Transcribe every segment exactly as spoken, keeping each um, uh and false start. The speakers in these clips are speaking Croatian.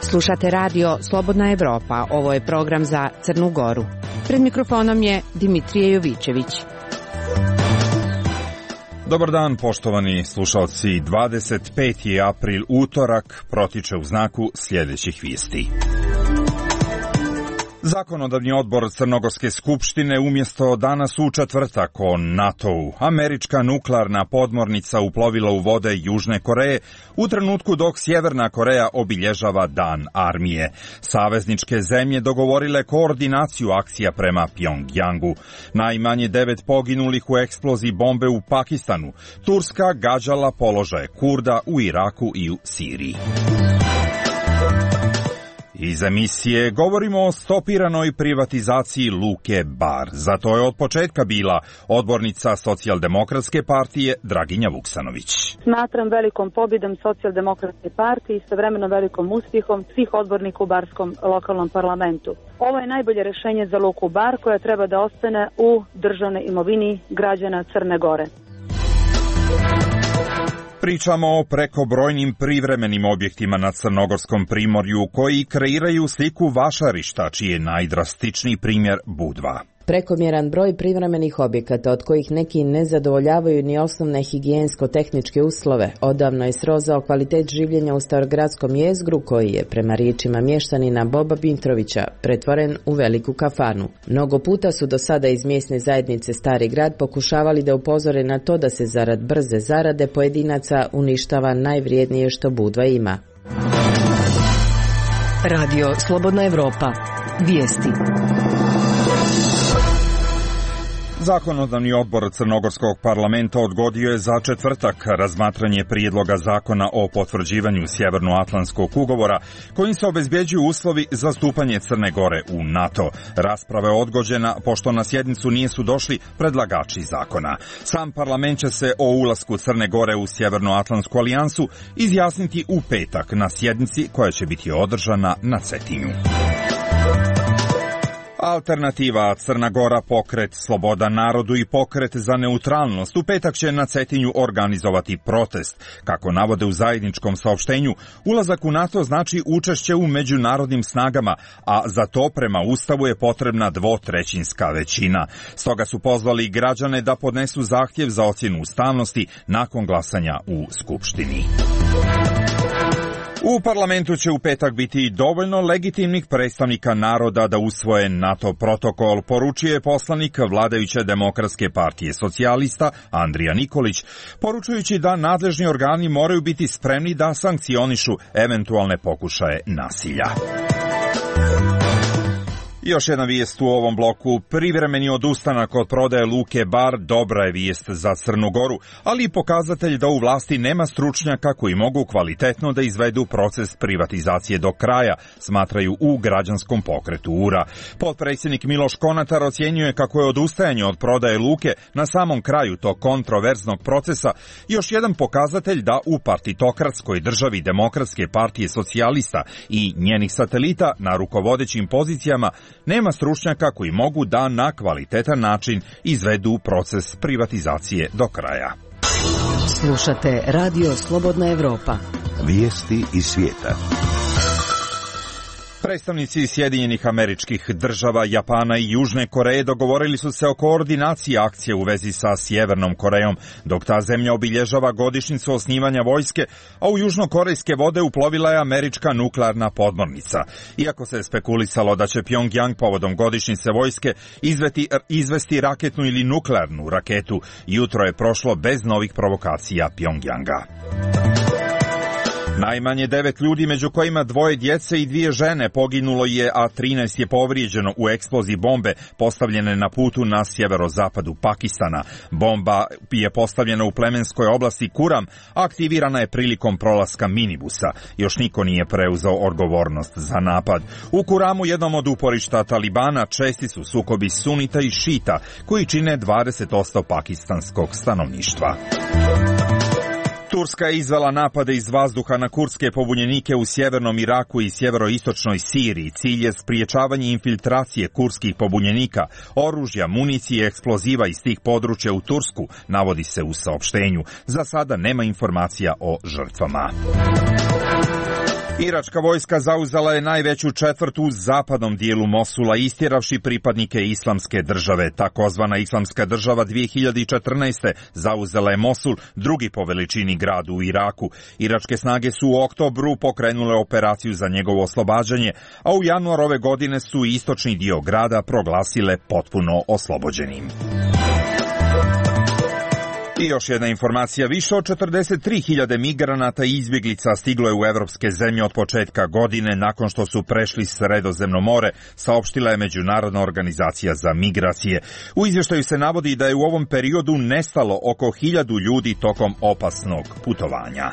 Slušate radio Slobodna Evropa, ovo je program za Crnu Goru. Pred mikrofonom je Dimitrije Jovićević. Dobar dan, poštovani slušalci. dvadeset peti april, utorak, protiče u znaku sljedećih vijesti. Zakonodavni odbor Crnogorske skupštine umjesto danas u četvrtak o NATO-u. Američka nuklearna podmornica uplovila u vode Južne Koreje u trenutku dok Sjeverna Koreja obilježava Dan armije. Savezničke zemlje dogovorile koordinaciju akcija prema Pjongjangu. Najmanje devet poginulih u eksploziji bombe u Pakistanu. Turska gađala položaje Kurda u Iraku i u Siriji. Iz emisije govorimo o stopiranoj privatizaciji Luke Bar. Za to je od početka bila odbornica Socijaldemokratske partije Draginja Vuksanović. Smatram velikom pobjedom Socijaldemokratske partije i istovremeno velikom uspjehom svih odbornika u barskom lokalnom parlamentu. Ovo je najbolje rješenje za Luku Bar koja treba da ostane u državnoj imovini građana Crne Gore. Pričamo o prekobrojnim privremenim objektima na Crnogorskom primorju koji kreiraju sliku vašarišta, čiji je najdrastičniji primjer Budva. Prekomjeran broj privremenih objekata, od kojih neki ne zadovoljavaju ni osnovne higijensko-tehničke uslove, odavno je srozao kvalitet življenja u starogradskom jezgru koji je, prema riječima mještanina Boba Bintrovića, pretvoren u veliku kafanu. Mnogo puta su do sada iz mjesne zajednice Stari grad pokušavali da upozore na to da se zarad brze zarade pojedinaca uništava najvrijednije što Budva ima. Radio Slobodna Evropa. Vijesti. Zakonodavni odbor Crnogorskog parlamenta odgodio je za četvrtak razmatranje prijedloga zakona o potvrđivanju Sjevernoatlantskog ugovora kojim se obezbjeđuju uslovi za stupanje Crne Gore u NATO. Rasprava je odgođena pošto na sjednicu nisu došli predlagači zakona. Sam parlament će se o ulasku Crne Gore u Sjevernoatlantsku alijansu izjasniti u petak na sjednici koja će biti održana na Cetinju. Alternativa Crna Gora, pokret Sloboda narodu i pokret za neutralnost u petak će na Cetinju organizovati protest. Kako navode u zajedničkom saopštenju, ulazak u NATO znači učešće u međunarodnim snagama, a za to prema Ustavu je potrebna dvotrećinska većina. Stoga su pozvali građane da podnesu zahtjev za ocjenu ustavnosti nakon glasanja u Skupštini. U parlamentu će u petak biti dovoljno legitimnih predstavnika naroda da usvoje NATO protokol, poručuje poslanik vladajuće Demokratske partije socijalista Andrija Nikolić, poručujući da nadležni organi moraju biti spremni da sankcionišu eventualne pokušaje nasilja. Još jedna vijest u ovom bloku. Privremeni odustanak od prodaje Luke Bar dobra je vijest za Crnu Goru, ali i pokazatelj da u vlasti nema stručnjaka koji mogu kvalitetno da izvedu proces privatizacije do kraja, smatraju u građanskom pokretu U R A. Potpredsjednik Miloš Konatar ocjenjuje kako je odustajanje od prodaje Luke na samom kraju tog kontroverznog procesa još jedan pokazatelj da u partitokratskoj državi Demokratske partije socijalista i njenih satelita na rukovodećim pozicijama nema stručnjaka koji mogu da na kvalitetan način izvedu proces privatizacije do kraja. Slušate Radio Slobodna Evropa. Vijesti iz svijeta. Predstavnici Sjedinjenih Američkih Država, Japana i Južne Koreje dogovorili su se o koordinaciji akcije u vezi sa Sjevernom Korejom, dok ta zemlja obilježava godišnjicu osnivanja vojske, a u južnokorejske vode uplovila je američka nuklearna podmornica. Iako se spekulisalo da će Pjongjang povodom godišnjice vojske izveti, izvesti raketnu ili nuklearnu raketu, jutro je prošlo bez novih provokacija Pjongjanga. Najmanje devet ljudi, među kojima dvoje djece i dvije žene, poginulo je, a trinaest je povrijeđeno u eksploziji bombe postavljene na putu na sjeverozapadu Pakistana. Bomba je postavljena u plemenskoj oblasti Kuram, a aktivirana je prilikom prolaska minibusa. Još niko nije preuzeo odgovornost za napad. U Kuramu, jednom od uporišta Talibana, česti su sukobi sunita i šita, koji čine dvadeset posto pakistanskog stanovništva. Turska je izvela napade iz vazduha na kurdske pobunjenike u sjevernom Iraku i sjeveroistočnoj Siriji. Cilj je spriječavanje infiltracije kurdskih pobunjenika, oružja, municije i eksploziva iz tih područja u Tursku, navodi se u saopštenju. Za sada nema informacija o žrtvama. Iračka vojska zauzela je najveću četvrt u zapadnom dijelu Mosula, istjeravši pripadnike Islamske države. Takozvana Islamska država dvije hiljade četrnaeste. zauzela je Mosul, drugi po veličini grad u Iraku. Iračke snage su u oktobru pokrenule operaciju za njegovo oslobađanje, a u januar ove godine su istočni dio grada proglasile potpuno oslobođenim. I još jedna informacija, više od četrdeset tri hiljade migranata i izbjeglica stiglo je u evropske zemlje od početka godine nakon što su prešli Sredozemno more, saopštila je Međunarodna organizacija za migracije. U izvještaju se navodi da je u ovom periodu nestalo oko hiljadu ljudi tokom opasnog putovanja.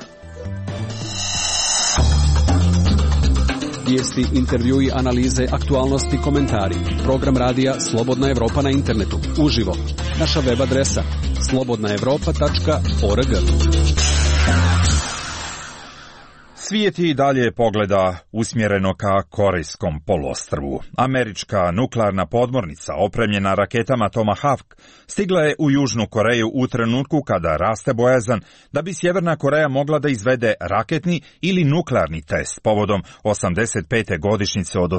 Vijesti, intervjui, analize, aktualnosti, komentari. Program radija Slobodna Evropa na internetu. Uživo. Naša web adresa slobodna evropa tačka org. Svijet i dalje pogleda usmjereno ka Korejskom poluostrvu. Američka nuklearna podmornica opremljena raketama Tomahawk stigla je u Južnu Koreju u trenutku kada raste bojazan da bi Sjeverna Koreja mogla da izvede raketni ili nuklearni test povodom osamdeset pete godišnjice od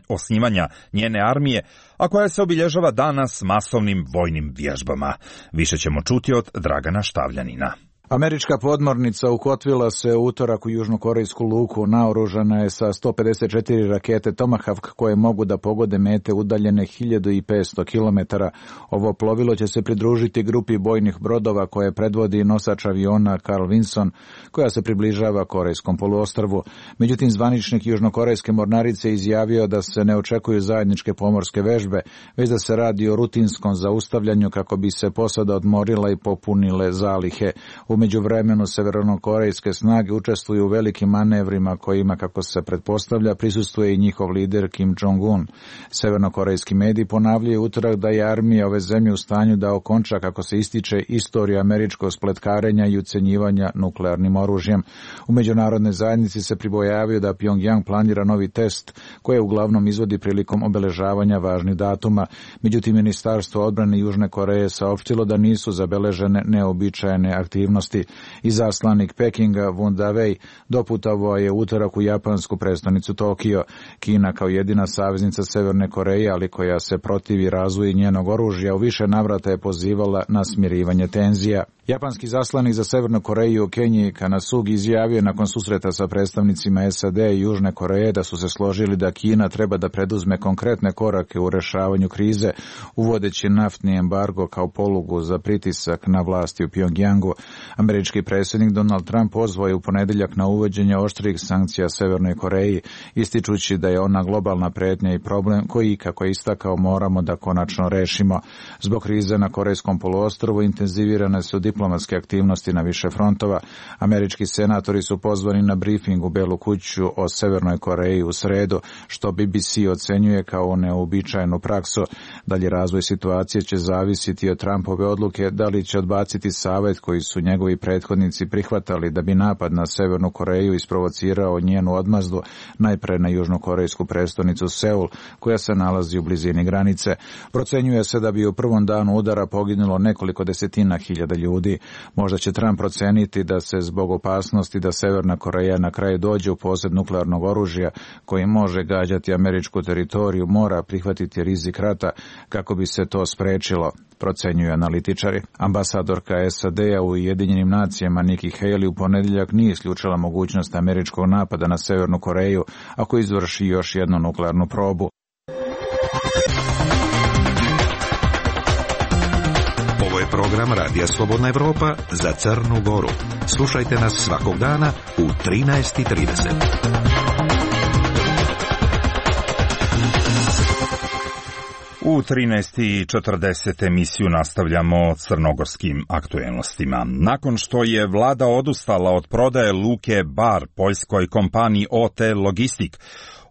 osnivanja njene armije, a koja se obilježava danas masovnim vojnim vježbama. Više ćemo čuti od Dragana Štavljanina. Američka podmornica ukotvila se u utorak u južnokorejsku luku, naoružana je sa sto pedeset četiri rakete Tomahawk koje mogu da pogode mete udaljene hiljadu petsto kilometara. Ovo plovilo će se pridružiti grupi bojnih brodova koje predvodi nosač aviona Carl Vinson, koja se približava Korejskom poluostrvu. Međutim, zvaničnik južnokorejske mornarice izjavio da se ne očekuju zajedničke pomorske vežbe, već da se radi o rutinskom zaustavljanju kako bi se posada odmorila i popunile zalihe. U međuvremenu severnokorejske snage učestvuju u velikim manevrima kojima, kako se pretpostavlja, prisustvuje i njihov lider Kim Jong-un. Severnokorejski mediji ponavljaju utorak da je armija ove zemlje u stanju da okonča, kako se ističe, istoriju američkog spletkarenja i ucenjivanja nuklearnim oružjem. U međunarodnoj zajednici se pribojavaju da Pyongyang planira novi test koje uglavnom izvodi prilikom obeležavanja važnih datuma. Međutim, Ministarstvo odbrane Južne Koreje saopštilo da nisu zabeležene neobičajene aktivnosti. Izaslanik Pekinga Won Da-wei doputovao je utorak u japansku prestonicu Tokio. Kina kao jedina saveznica Severne Koreje, ali koja se protivi razvoju njenog oružja, u više navrata je pozivala na smirivanje tenzija. Japanski zaslanik za Severnu Koreju Kenji Kanasugi izjavio nakon susreta sa predstavnicima S A D i Južne Koreje da su se složili da Kina treba da preduzme konkretne korake u rešavanju krize, uvodeći naftni embargo kao polugu za pritisak na vlasti u Pyongyangu. Američki predsjednik Donald Trump pozvao je u ponedjeljak na uvođenje oštrih sankcija Severnoj Koreji, ističući da je ona globalna prijetnja i problem koji, kako je istakao, moramo da konačno rešimo. Zbog krize na Korejskom poluostrvu intenzivirane su diplomatske aktivnosti na više frontova. Američki senatori su pozvani na brifing u Belu kuću o Severnoj Koreji u sredu, što B B C ocenjuje kao neuobičajenu praksu. Dalje razvoj situacije će zavisiti od Trumpove odluke da li će odbaciti savjet koji su njegovi prethodnici prihvatali da bi napad na Severnu Koreju isprovocirao njenu odmazdu, najpre na južnokorejsku prestonicu Seul, koja se nalazi u blizini granice. Procenjuje se da bi u prvom danu udara poginulo nekoliko desetina hiljada ljudi. Možda će Trump proceniti da se zbog opasnosti da Severna Koreja na kraju dođe u posjed nuklearnog oružja koji može gađati američku teritoriju, mora prihvatiti rizik rata kako bi se to sprečilo, procenjuju analitičari. Ambasadorka S A D-a u Ujedinjenim nacijama Nikki Haley u ponedjeljak nije isključila mogućnost američkog napada na Severnu Koreju ako izvrši još jednu nuklearnu probu. Ovo je program Radija Slobodna Evropa za Crnu Goru. Slušajte nas svakog dana u trinaest i trideset. U trinaest i četrdeset emisiju nastavljamo crnogorskim aktuelnostima. Nakon što je vlada odustala od prodaje luke Bar poljskoj kompaniji O T Logistik,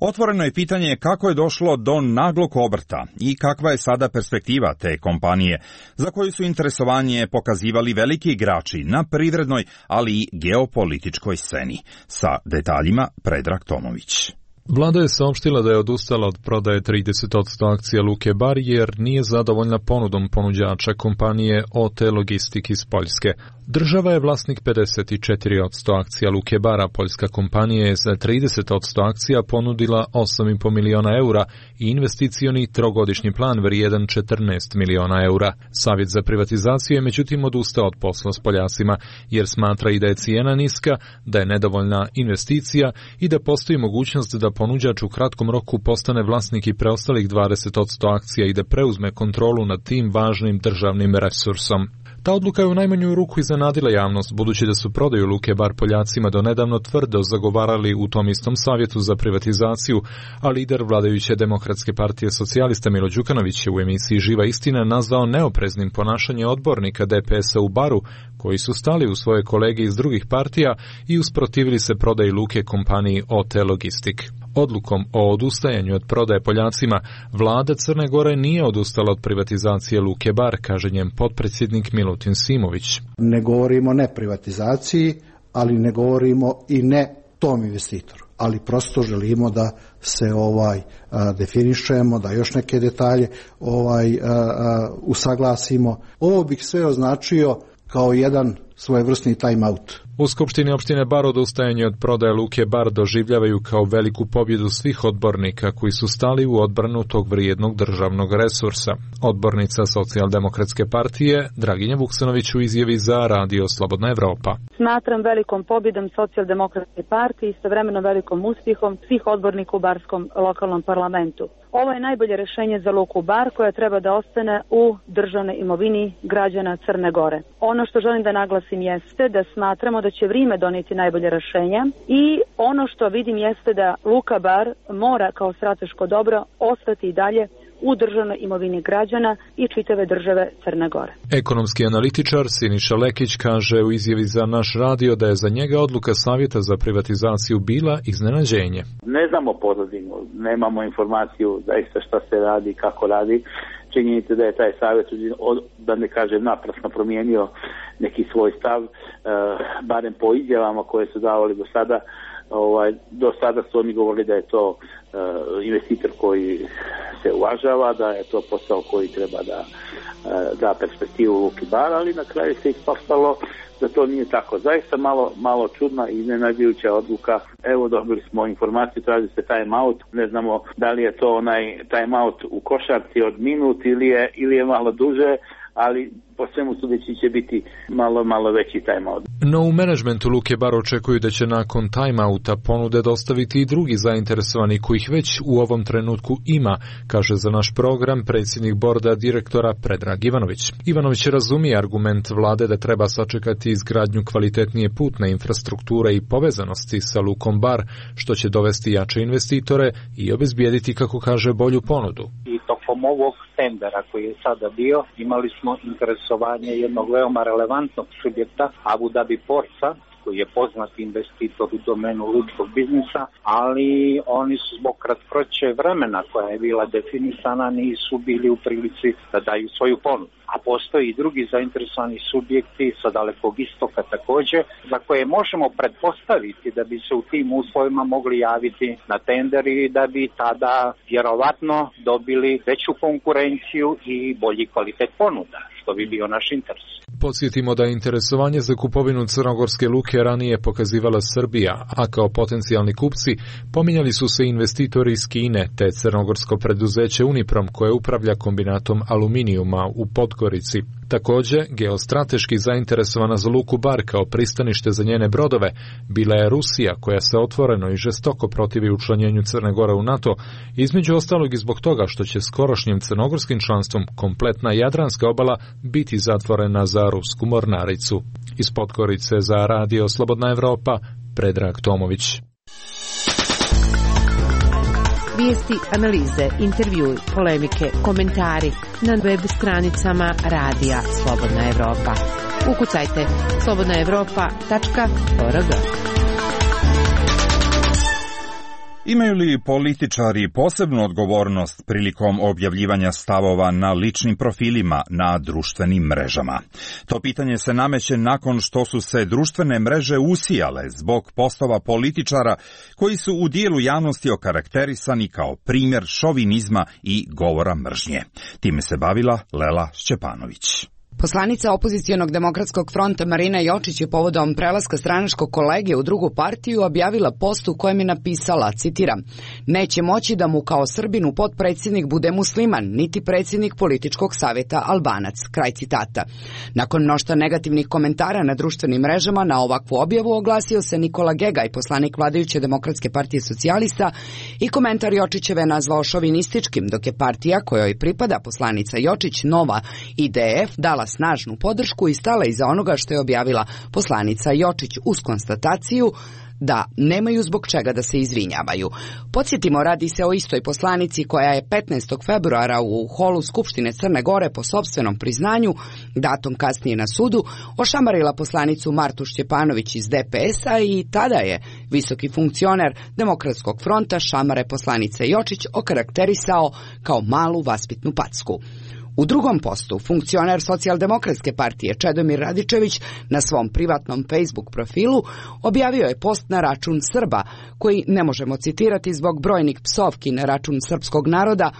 Otvoreno je pitanje kako je došlo do naglog obrta i kakva je sada perspektiva te kompanije, za koju su interesovanje pokazivali veliki igrači na privrednoj, ali i geopolitičkoj sceni. Sa detaljima Predrag Tomović. Vlada je saopštila da je odustala od prodaje trideset posto akcija Luke Bar jer nije zadovoljna ponudom ponuđača kompanije O T Logistik iz Poljske. Država je vlasnik pedeset četiri posto akcija Luke Bara, poljska kompanija je za trideset posto akcija ponudila osam i po miliona eura i investicioni trogodišnji plan vrijedan četrnaest miliona eura. Savjet za privatizaciju je međutim odustao od posla s Poljacima jer smatra i da je cijena niska, da je nedovoljna investicija i da postoji mogućnost da ponuđač u kratkom roku postane vlasnik i preostalih dvadeset posto akcija i da preuzme kontrolu nad tim važnim državnim resursom. Ta odluka je u najmanju ruku iznenadila javnost, budući da su prodaju Luke Bar Poljacima donedavno tvrdo zagovarali u tom istom savjetu za privatizaciju, a lider vladajuće Demokratske partije socijalista Milo Đukanović je u emisiji Živa istina nazvao neopreznim ponašanje odbornika D P S-a u Baru, koji su stali u svoje kolege iz drugih partija i usprotivili se prodaji Luke kompaniji O T Logistik. Odlukom o odustajanju od prodaje Poljacima, vlada Crne Gore nije odustala od privatizacije Luke Bar, kaže njen potpredsjednik Milutin Simović. Ne govorimo ne privatizaciji, ali ne govorimo i ne tom investitoru. Ali prosto želimo da se ovaj a, definišemo, da još neke detalje ovaj a, a, usaglasimo. Ovo bih sve označio kao jedan svojevrsni time out. U Skupštini opštine Bar odustajanje od prodaje Luke Bar doživljavaju kao veliku pobjedu svih odbornika koji su stali u odbranu tog vrijednog državnog resursa. Odbornica Socijaldemokratske partije Draginja Vuksanović u izjavi za Radio Slobodna Evropa. Smatram velikom pobjedom Socijaldemokratske partije i istovremeno velikom uspjehom svih odbornika u barskom lokalnom parlamentu. Ovo je najbolje rješenje za Luku Bar koja treba da ostane u državnoj imovini građana Crne Gore. Ono što želim da naglasim jeste da smatramo da će vrijeme donijeti najbolje rješenja i ono što vidim jeste da Luka Bar mora kao strateško dobro ostati i dalje u državnoj imovini građana i čitave države Crne Gore. Ekonomski analitičar Siniša Lekić kaže u izjavi za naš radio da je za njega odluka Savjeta za privatizaciju bila iznenađenje. Ne znamo pozadinu, nemamo informaciju zaista šta se radi, kako radi. Činjenica da je taj savjet, da ne kažem naprasno, promijenio neki svoj stav, e, barem po izjavama koje su davali do sada. Ovaj, do sada su oni govorili da je to e, investitor koji se uvažava, da je to posao koji treba da e, da perspektivu Luki Bar, ali na kraju se ispostavilo da to nije tako. Zaista malo, malo čudna i iznenađujuća odluka. Evo, dobili smo informaciju, traži se time out. Ne znamo da li je to onaj time out u košarci od minut ili je, ili je malo duže, ali po svemu sudeći će biti malo, malo veći time-out. No u menadžmentu Luke Bar očekuju da će nakon time-outa ponude dostaviti i drugi zainteresovani kojih već u ovom trenutku ima, kaže za naš program predsjednik borda direktora Predrag Ivanović. Ivanović razumije argument vlade da treba sačekati izgradnju kvalitetnije putne infrastrukture i povezanosti sa Lukom Bar, što će dovesti jače investitore i obezbijediti, kako kaže, bolju ponudu. I tokom ovog tendera koji je sada bio, imali smo interesovanje jednog veoma relevantnog subjekta, Abu Dhabi Portsa, koji je poznati investitor u domenu lučkog biznisa, ali oni su zbog kratkoće vremena koja je bila definisana nisu bili u prilici da daju svoju ponudu. A postoji i drugi zainteresovani subjekti sa Dalekog istoka također, za koje možemo pretpostaviti da bi se u tim uslovima mogli javiti na tender i da bi tada vjerovatno dobili veću konkurenciju i bolji kvalitet ponuda, što bi bio naš interes. Podsjetimo da je interesovanje za kupovinu crnogorske luke ranije pokazivala Srbija, a kao potencijalni kupci pominjali su se investitori iz Kine te crnogorsko preduzeće Uniprom koje upravlja kombinatom aluminijuma u Podgorici. Također, geostrateški zainteresovana za Luku Bar kao pristanište za njene brodove bila je Rusija, koja se otvoreno i žestoko protivi učlanjenju Crne Gore u NATO, između ostalog i zbog toga što će skorošnjim crnogorskim članstvom kompletna Jadranska obala biti zatvorena za rusku mornaricu. Iz Podgorice za Radio Slobodna Evropa, Predrag Tomović. Vijesti, analize, intervjui, polemike, komentari na web stranicama Radija Slobodna Evropa. Ukucajte slobodna evropa tačka org. Imaju li političari posebnu odgovornost prilikom objavljivanja stavova na ličnim profilima na društvenim mrežama? To pitanje se nameće nakon što su se društvene mreže usijale zbog postova političara koji su u dijelu javnosti okarakterisani kao primjer šovinizma i govora mržnje. Time se bavila Lela Šćepanović. Poslanica opozicionog demokratskog fronta Marina Jočić je povodom prelaska stranačkog kolege u drugu partiju objavila post u kojem je napisala, citiram, neće moći da mu kao Srbinu potpredsjednik bude musliman, niti predsjednik političkog savjeta Albanac, kraj citata. Nakon mnoštva negativnih komentara na društvenim mrežama na ovakvu objavu oglasio se Nikola Gegaj, poslanik vladajuće Demokratske partije socijalista, i komentar Jočićeve nazvao šovinističkim, dok je partija kojoj pripada poslanica Jočić, Nova I D F, dala snažnu podršku i stala iza onoga što je objavila poslanica Jočić uz konstataciju da nemaju zbog čega da se izvinjavaju. Podsjetimo, radi se o istoj poslanici koja je petnaestog februara u holu Skupštine Crne Gore po sopstvenom priznanju, datom kasnije na sudu, ošamarila poslanicu Martu Šćepanović iz D P S-a i tada je visoki funkcioner Demokratskog fronta šamare poslanice Jočić okarakterisao kao malu vaspitnu packu. U drugom postu, funkcioner Socijaldemokratske partije Čedomir Radičević na svom privatnom Facebook profilu objavio je post na račun Srba, koji ne možemo citirati zbog brojnih psovki na račun srpskog naroda,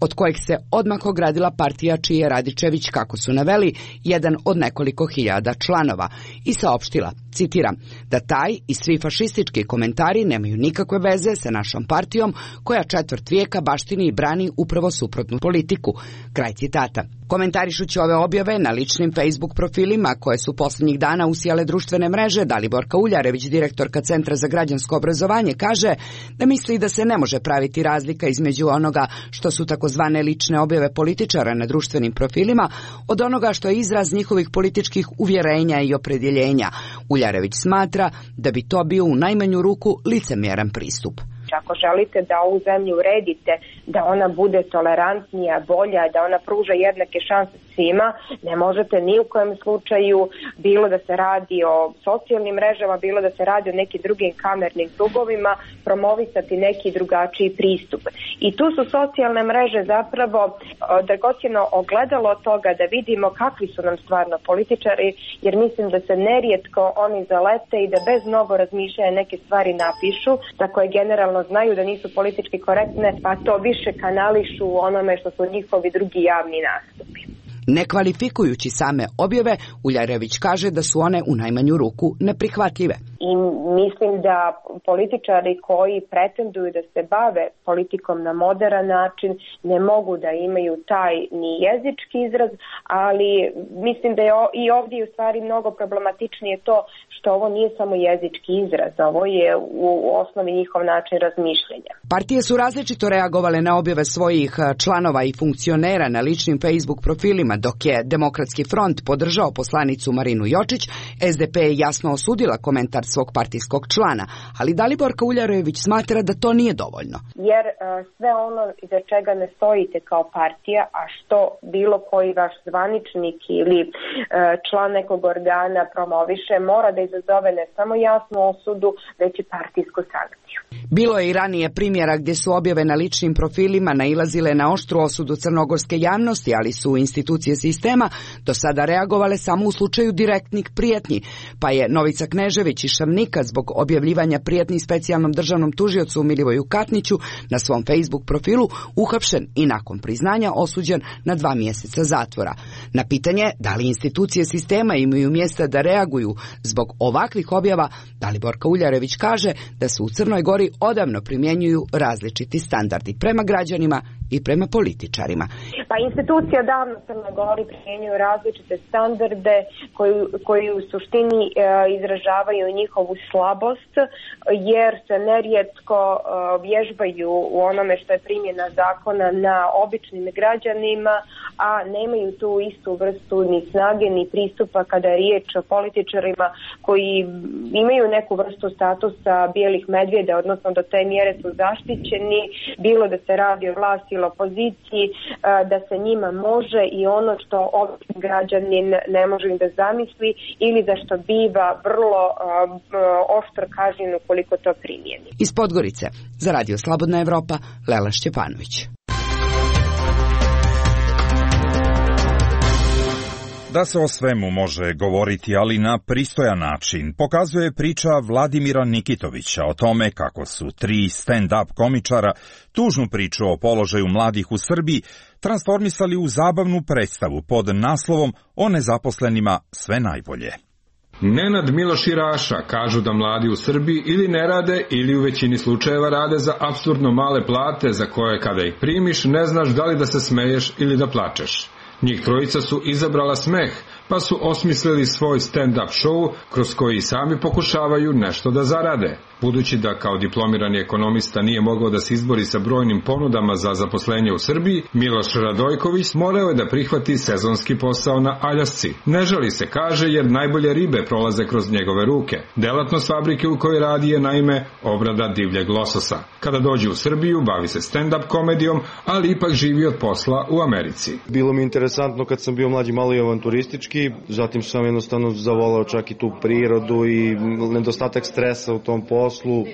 od kojeg se odmah ogradila partija čiji je Radičević, kako su naveli, jedan od nekoliko hiljada članova, i saopštila, citiram, da taj i svi fašistički komentari nemaju nikakve veze sa našom partijom koja četvrt vijeka baštini i brani upravo suprotnu politiku, kraj citata. Komentarišući ove objave na ličnim Facebook profilima koje su posljednjih dana usijale društvene mreže, Daliborka Uljarević, direktorka Centra za građansko obrazovanje, kaže da misli da se ne može praviti razlika između onoga što su takozvane lične objave političara na društvenim profilima od onoga što je izraz njihovih političkih uvjerenja i opredjeljenja. Uljarević smatra da bi to bio u najmanju ruku licemjeran pristup. Ako želite da ovu zemlju uredite, da ona bude tolerantnija, bolja, da ona pruža jednake šanse svima, ne možete ni u kojem slučaju, bilo da se radi o socijalnim mrežama, bilo da se radi o nekim drugim kamernim krugovima, promovisati neki drugačiji pristup. I tu su socijalne mreže zapravo dragocjeno ogledalo toga da vidimo kakvi su nam stvarno političari, jer mislim da se nerijetko oni zalete i da bez mnogo razmišljanja neke stvari napišu, za koje generalno znaju da nisu politički korektne, pa to više kanališu u onome što su njihovi drugi javni nastupi. Ne kvalifikujući same objave, Uljarević kaže da su one u najmanju ruku neprihvatljive. I mislim da političari koji pretenduju da se bave politikom na moderan način ne mogu da imaju taj ni jezički izraz, ali mislim da je i ovdje u stvari mnogo problematičnije to što ovo nije samo jezički izraz, ovo je u osnovi njihov način razmišljanja. Partije su različito reagovale na objave svojih članova i funkcionera na ličnim Facebook profilima, dok je Demokratski front podržao poslanicu Marinu Jočić, S D P je jasno osudila komentar svog partijskog člana, ali Daliborka Uljarević smatra da to nije dovoljno. Jer uh, sve ono iza čega ne stojite kao partija, a što bilo koji vaš zvaničnik ili uh, član nekog organa promoviše, mora da izazove ne samo jasnu osudu, već i partijsku sankciju. Bilo je i ranije primjera gdje su objave na ličnim profilima nailazile na oštru osudu crnogorske javnosti, ali su institucije sistema do sada reagovale samo u slučaju direktnih prijetnji, pa je Novica Knežević iz Šavnika zbog objavljivanja prijetnji specijalnom državnom tužiocu Milivoju Katniću na svom Facebook profilu uhapšen i nakon priznanja osuđen na dva mjeseca zatvora. Na pitanje da li institucije sistema imaju mjesta da reaguju zbog ovakvih objava, Daliborka Uljarević kaže da se u Crnoj Gori odavno primjenjuju različiti standardi prema građanima i prema političarima. Pa institucije odavno u Crnoj Gori primjenjuju različite standarde koji, koji u suštini e, izražavaju njihovu slabost, jer se nerijetko e, vježbaju u onome što je primjena zakona na običnim građanima, a nemaju tu istu vrstu ni snage ni pristupa kada je riječ o političarima koji imaju neku vrstu statusa bijelih medvjeda, odnosno do te mjere su zaštićeni, bilo da se radi o vlasti ili opoziciji, da se njima može i ono što običan građanin ne može da zamisli ili za što biva vrlo uh, oštro kažnjen ukoliko to primijeni. Iz Podgorice, za Radio Slobodna Evropa, Lela Šćepanović. Da se o svemu može govoriti, ali na pristojan način, pokazuje priča Vladimira Nikitovića o tome kako su tri stand-up komičara tužnu priču o položaju mladih u Srbiji transformisali u zabavnu predstavu pod naslovom o nezaposlenima sve najbolje. Nenad Miloš i Raša kažu da mladi u Srbiji ili ne rade ili u većini slučajeva rade za apsurdno male plate za koje kada ih primiš ne znaš da li da se smeješ ili da plačeš. Njih trojica su izabrala smeh, pa su osmislili svoj stand-up show kroz koji sami pokušavaju nešto da zarade. Budući da kao diplomirani ekonomista nije mogao da se izbori sa brojnim ponudama za zaposlenje u Srbiji, Miloš Radojković morao je da prihvati sezonski posao na Aljasci. Ne žali se, kaže, jer najbolje ribe prolaze kroz njegove ruke. Delatnost fabrike u kojoj radi je naime obrada divljeg lososa. Kada dođe u Srbiju, bavi se stand-up komedijom, ali ipak živi od posla u Americi. Bilo mi interesantno kad sam bio mlađi, malo i avanturistički, zatim sam jednostavno zavolao čak i tu prirodu i nedostatak stresa u tom poslu.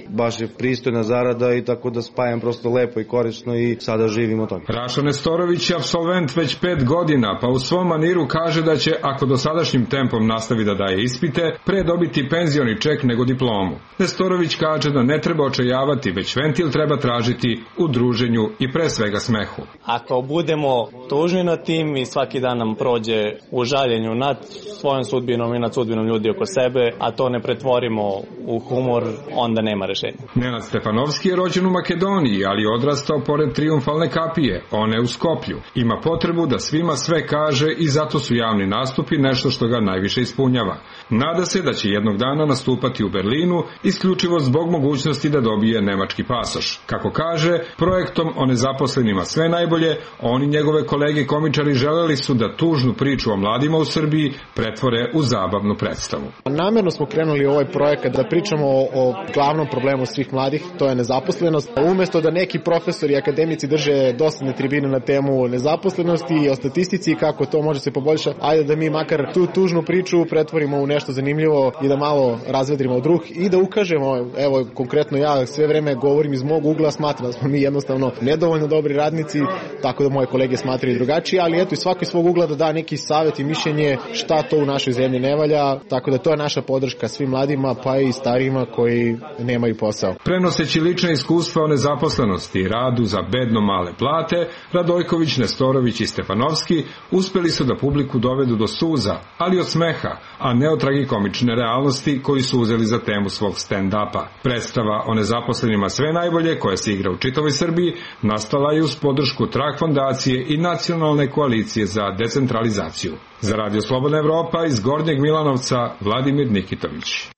Baš je pristojna zarada i tako da spajam prosto lepo i korisno i sada živim od toga. Rašo Nestorović je apsolvent već pet godina, pa u svom maniru kaže da će, ako dosadašnjim tempom nastavi da daje ispite, pre dobiti penzioni ček nego diplomu. Nestorović kaže da ne treba očajavati, već ventil treba tražiti u druženju i pre svega smehu. Ako budemo tužni nad tim i svaki dan nam prođe u žaljenju nad svojom sudbinom i nad sudbinom ljudi oko sebe, a to ne pretvorimo u humor, onda nema rešenja. Nenad Stefanovski je rođen u Makedoniji, ali je odrastao pored Trijumfalne kapije, one u Skoplju. Ima potrebu da svima sve kaže i zato su javni nastupi nešto što ga najviše ispunjava. Nada se da će jednog dana nastupati u Berlinu, isključivo zbog mogućnosti da dobije nemački pasoš. Kako kaže, projektom o nezaposlenima sve najbolje, on i njegove kolege komičari želeli su da tužnu priču o mladima u Srbiji pretvore u zabavnu predstavu. Namerno smo krenuli u ovaj projekat da pričamo o, o glavnom problemu svih mladih, to je nezaposlenost. Umesto da neki profesori i akademici drže dosadne tribine na temu nezaposlenosti i o statistici kako to može se poboljšati, ajde da mi makar tu tužnu priču pretvorimo u nešto zanimljivo i da malo razvedrimo druh i da ukažemo, evo konkretno ja sve vreme govorim iz mog ugla, smatram da smo mi jednostavno nedovoljno dobri radnici, tako da moje kolege smatraju drugačije, ali eto i svako iz svog ugla da da neki savjet i mišljenje šta to u našoj zemlji ne valja, tako da to je naša podrška svim mladima pa i starijima koji nemaju posao. Prenoseći lična iskustva o nezaposlenosti i radu za bedno male plate, Radojković, Nestorović i Stefanovski uspeli su da publiku dovedu do suza, ali od smeha, a ne od tragikomične realnosti koji su uzeli za temu svog stand-upa. Predstava o nezaposlenima sve najbolje, koja se igra u čitavoj Srbiji, nastala je uz podršku Trag fondacije i Nacionalne koalicije za decentralizaciju. Za Radio Slobodna Evropa iz Gornjeg Milanovca, Vladimir Nikitović.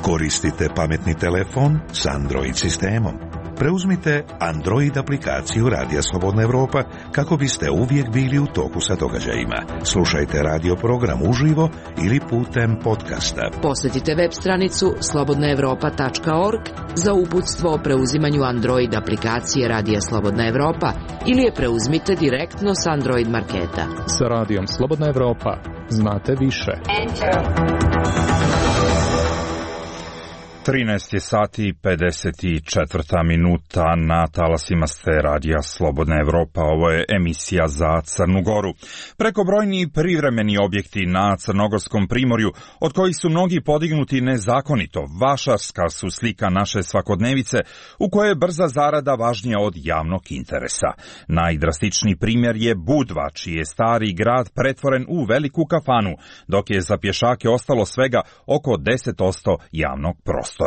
Koristite pametni telefon s Android sistemom. Preuzmite Android aplikaciju Radija Slobodna Evropa kako biste uvijek bili u toku sa događajima. Slušajte radio program uživo ili putem podcasta. Posjetite web stranicu slobodna evropa tačka org za uputstvo o preuzimanju Android aplikacije Radija Slobodna Evropa ili je preuzmite direktno s Android marketa. Sa Radijom Slobodna Evropa znate više. trinaest je sati pedeset četiri minuta, na talasima ste Radija Slobodna Evropa, ovo je emisija za Crnu Goru. Prekobrojni privremeni objekti na Crnogorskom primorju, od kojih su mnogi podignuti nezakonito, vašarska su slika naše svakodnevice, u kojoj je brza zarada važnija od javnog interesa. Najdrastičniji primjer je Budva, čiji je stari grad pretvoren u veliku kafanu, dok je za pješake ostalo svega oko deset posto javnog prostora.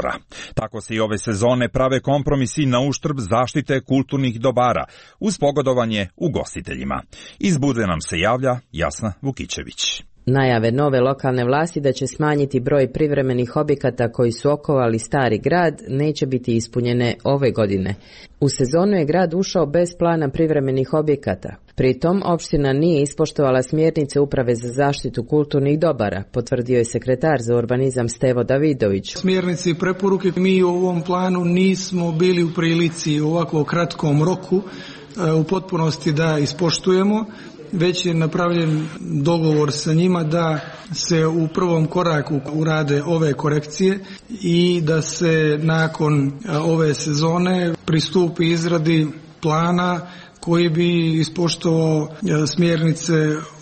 Tako se i ove sezone prave kompromisi na uštrb zaštite kulturnih dobara, uz pogodovanje ugostiteljima. Iz Budve nam se javlja Jasna Vukićević. Najave nove lokalne vlasti da će smanjiti broj privremenih objekata koji su okovali stari grad neće biti ispunjene ove godine. U sezonu je grad ušao bez plana privremenih objekata. Pritom, opština nije ispoštovala smjernice Uprave za zaštitu kulturnih dobara, potvrdio je sekretar za urbanizam Stevo Davidović. Smjernice i preporuke mi u ovom planu nismo bili u prilici u ovako kratkom roku u potpunosti da ispoštujemo, već je napravljen dogovor sa njima da se u prvom koraku urade ove korekcije i da se nakon ove sezone pristupi izradi plana koji bi ispoštovao smjernice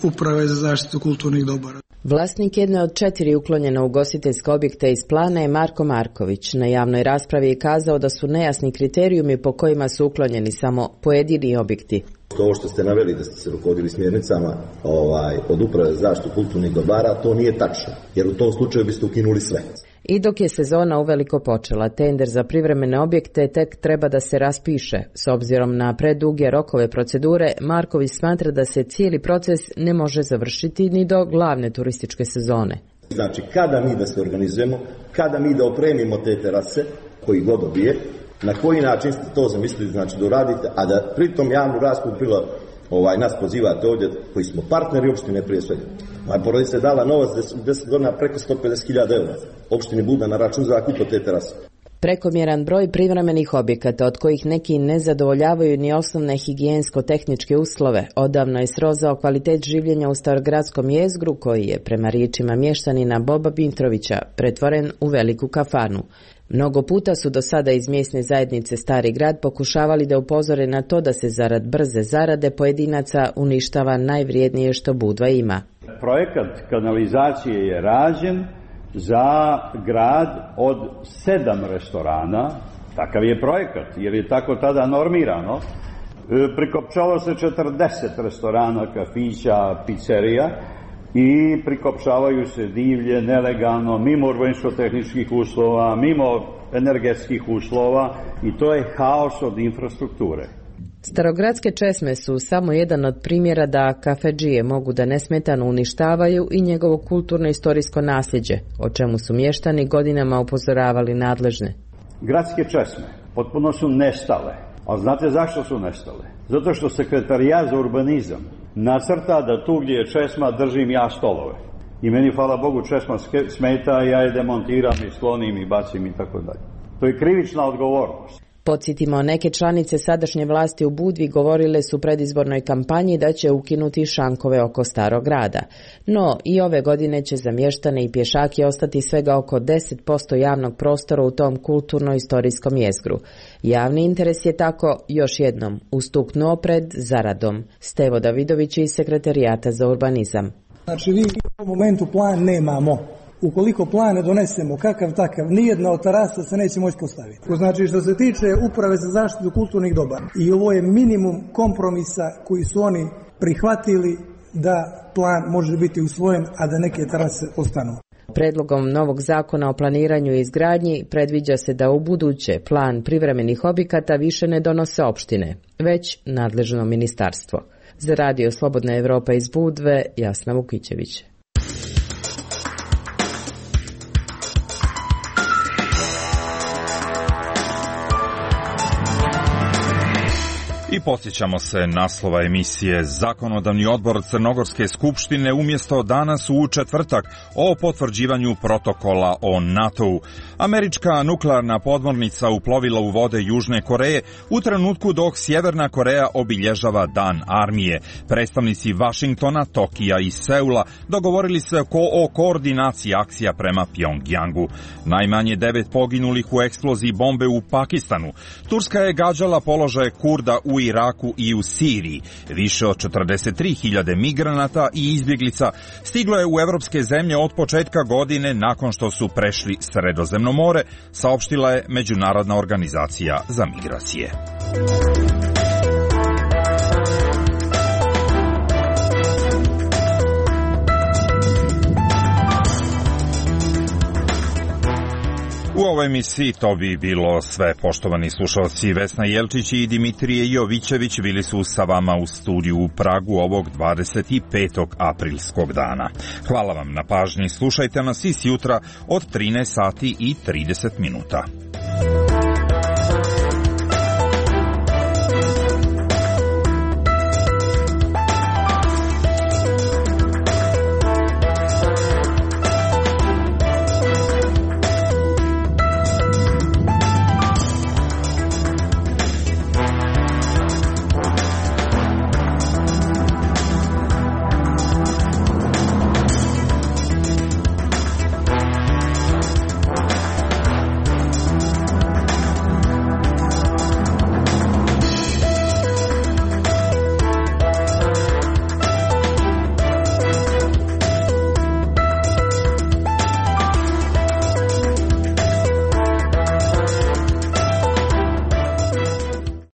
Uprave za zaštitu kulturnih dobara. Vlasnik jedne od četiri uklonjena ugostiteljska objekta iz plana je Marko Marković. Na javnoj raspravi je kazao da su nejasni kriterijumi po kojima su uklonjeni samo pojedini objekti. Ovo što ste naveli da ste se rukovodili smjernicama ovaj, od Uprave za zaštitu kulturnih dobara, to nije tačno, jer u tom slučaju biste ukinuli sve. I dok je sezona uveliko počela, tender za privremene objekte tek treba da se raspiše. S obzirom na preduge rokove procedure, Marković smatra da se cijeli proces ne može završiti ni do glavne turističke sezone. Znači, kada mi da se organizujemo, kada mi da opremimo te terase, koji god dobije, na koji način ste to zamislili, znači da uradite, a da pritom javnu raspravu bilo ovaj, nas pozivate ovdje koji smo partneri opštine prije svega. Moja porodica je dala novac u deset godina preko sto pedeset hiljada eura opštini Buda na račun za kupo te terase. Prekomjeran broj privremenih objekata, od kojih neki ne zadovoljavaju ni osnovne higijensko-tehničke uslove, odavno je srozao kvalitet življenja u starogradskom jezgru, koji je, prema riječima mještanina Boba Bintrovića, pretvoren u veliku kafanu. Mnogo puta su do sada iz mjesne zajednice Stari grad pokušavali da upozore na to da se zarad brze zarade pojedinaca uništava najvrijednije što Budva ima. Projekat kanalizacije je rađen za grad od sedam restorana, takav je projekat, jer je tako tada normirano. Prikopčalo se četrdeset restorana, kafića, pizzerija i prikopčavaju se divlje, nelegalno, mimo urbanističko-tehničkih uslova, mimo energetskih uslova i to je haos od infrastrukture. Starogradske česme su samo jedan od primjera da kafedžije mogu da nesmetano uništavaju i njegovo kulturno-istorijsko nasljeđe, o čemu su mještani godinama upozoravali nadležne. Gradske česme potpuno su nestale, a znate zašto su nestale? Zato što sekretarijat za urbanizam nacrta da tu gdje je česma držim ja stolove. I meni, hvala Bogu, česma smeta, ja je demontiram i sklonim i bacim i tako dalje. To je krivična odgovornost. Podsjetimo, neke članice sadašnje vlasti u Budvi govorile su u predizbornoj kampanji da će ukinuti šankove oko Starog grada. No, i ove godine će za mještane i pješake ostati svega oko deset posto javnog prostora u tom kulturno-istorijskom jezgru. Javni interes je tako, još jednom, ustuknuo pred zaradom. Stevo Davidović iz Sekretarijata za urbanizam. Znači, mi u momentu plan nemamo. Ukoliko plan ne donesemo kakav takav, nijedna od terasa se neće moći postaviti. Znači, što se tiče Uprave za zaštitu kulturnih dobara, i ovo je minimum kompromisa koji su oni prihvatili da plan može biti usvojen, a da neke terase ostanu. Predlogom novog zakona o planiranju i izgradnji predviđa se da u buduće plan privremenih objekata više ne donose opštine, već nadležno ministarstvo. Za Radio Slobodna Evropa iz Budve, Jasna Vukićević. I podsjećamo se naslova emisije. Zakonodavni odbor Crnogorske skupštine umjesto danas u četvrtak o potvrđivanju protokola o NATO-u. Američka nuklearna podmornica uplovila u vode Južne Koreje u trenutku dok Sjeverna Koreja obilježava Dan armije. Predstavnici Vašingtona, Tokija i Seula dogovorili se o koordinaciji akcija prema Pjongjangu. Najmanje devet poginulih u eksploziji bombe u Pakistanu. Turska je gađala položaje Kurda u Iraku i u Siriji. Više od četrdeset tri hiljade migranata i izbjeglica stiglo je u evropske zemlje od početka godine nakon što su prešli Sredozemno more, saopštila je Međunarodna organizacija za migracije. U ovoj emisiji to bi bilo sve, poštovani slušalci. Vesna Jelčić i Dimitrije Jovićević bili su sa vama u studiju u Pragu ovog dvadeset petog aprilskog dana. Hvala vam na pažnji, slušajte nas i sjutra od trinaest sati i trideset minuta.